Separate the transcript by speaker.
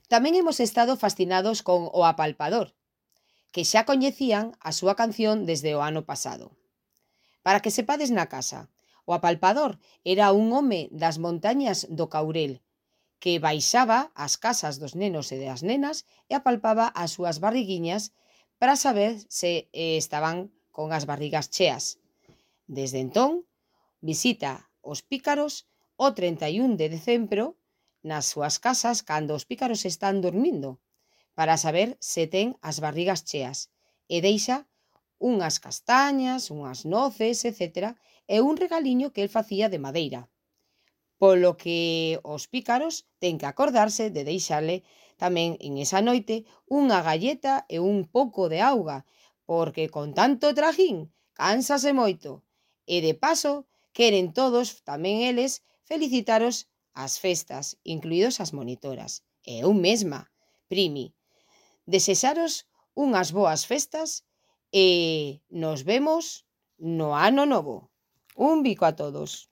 Speaker 1: Tamén hemos estado fascinados con O Apalpador, que xa coñecían a súa canción desde o ano pasado. Para que sepades na casa, o apalpador era un home das montañas do Caurel que baixaba ás casas dos nenos e das nenas e apalpaba as súas barriguiñas para saber se estaban con as barrigas cheas. Desde entón, visita os pícaros o 31 de decembro nas súas casas cando os pícaros están dormindo para saber se ten as barrigas cheas e deixa unhas castañas, unhas noces, etcétera, e un regaliño que el facía de madeira. Polo que os pícaros ten que acordarse de deixarle tamén en esa noite unha galleta e un pouco de auga, porque con tanto trajín cánsase moito. E de paso, queren todos, tamén eles, felicitaros as festas, incluídos as monitoras. E eu mesma, Primi, desexaros unhas boas festas e nos vemos no ano novo. Un bico a todos.